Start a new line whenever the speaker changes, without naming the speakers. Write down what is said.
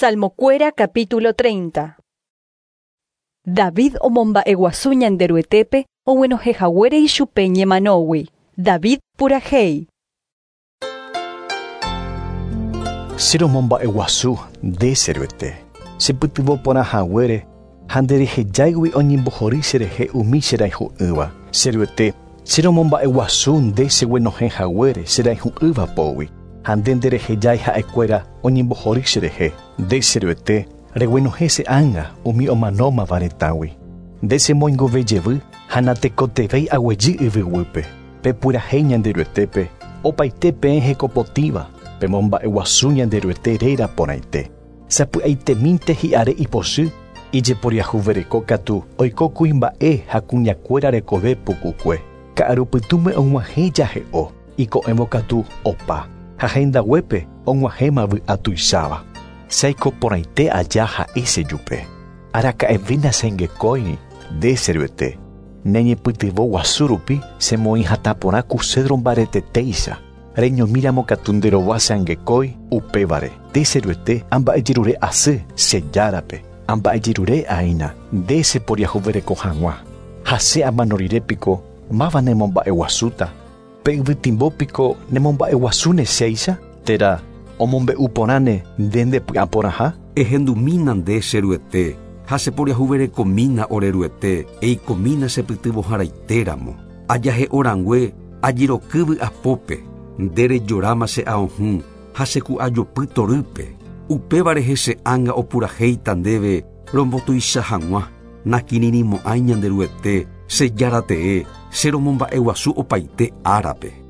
Salmokuéra capítulo 30. David omomba'eguasu Ñanderuetépe oguenohẽhaguére ichupe ñemanógui. David purahéi.
Che romomba'eguasu nde che Ruete, chepytyvõ porã haguére ha nderehejáigui oñembohory cherehe umi che rayhu'ỹva. Che Ruete, che romomba'eguasu nde cheguenohẽ haguére che rayhu'ỹva pógui, ha nde nderehejái ha'ekuéra oñembohory cherehe. Nde che Ruete, reguenohẽ che ánga umi omanómava retãgui. Nde chemoingove jevy ha natekotevẽi aguejy yvyguýpe. Pepurahéi Ñanderuetépe, opaite peẽ hekopotĩva, pemomba'eguasu Ñanderuete réra porãite. Sapy'aitemínte hi'are ipochy, ijeporiahuvereko katu oiko kuimba'e ha kuñakuéra rekove pukukue. Ka'arupytũme og̃uahẽ jahe'o, iko'ẽvo katu opa, ha hendaguépe og̃uahẽma vy'a tuicháva. Che aiko porãite aja ha'e chejupe. Araka'eve nachengekóiri, nde che Ruete. Ne ñepytyvõ guasu rupi chemoĩ hatã porã ku cedro mbaretetéicha. Reñomíramo katu nde rova che angekói, upévare, nde che Ruete amba'ejerure asy che Járape, amba'ejerure aína nde cheporiahuvereko hag̃ua. Ha che amano rire piko máva nemomba'eguasúta? Pe yvytimbo piko nemomba'eguasúne chéicha? Térã omombe'u porãne nde ndepy'aporãha?
Ehendumína nde, che Ruete, ha cheporiahuverekomína ore Ruete, eikomína chepytyvõharaitéramo. Ajahe'o rangue, ajeroky vy'apópe, nde rejoráma che aohũ ha che ku'ajopy torýpe. Upéva rehe che ánga opurahéita ndéve rombotuicha hag̃ua, nakirirĩmo'ãi Ñanderuete, che Jára tee, che romomba'eguasu opaite árape.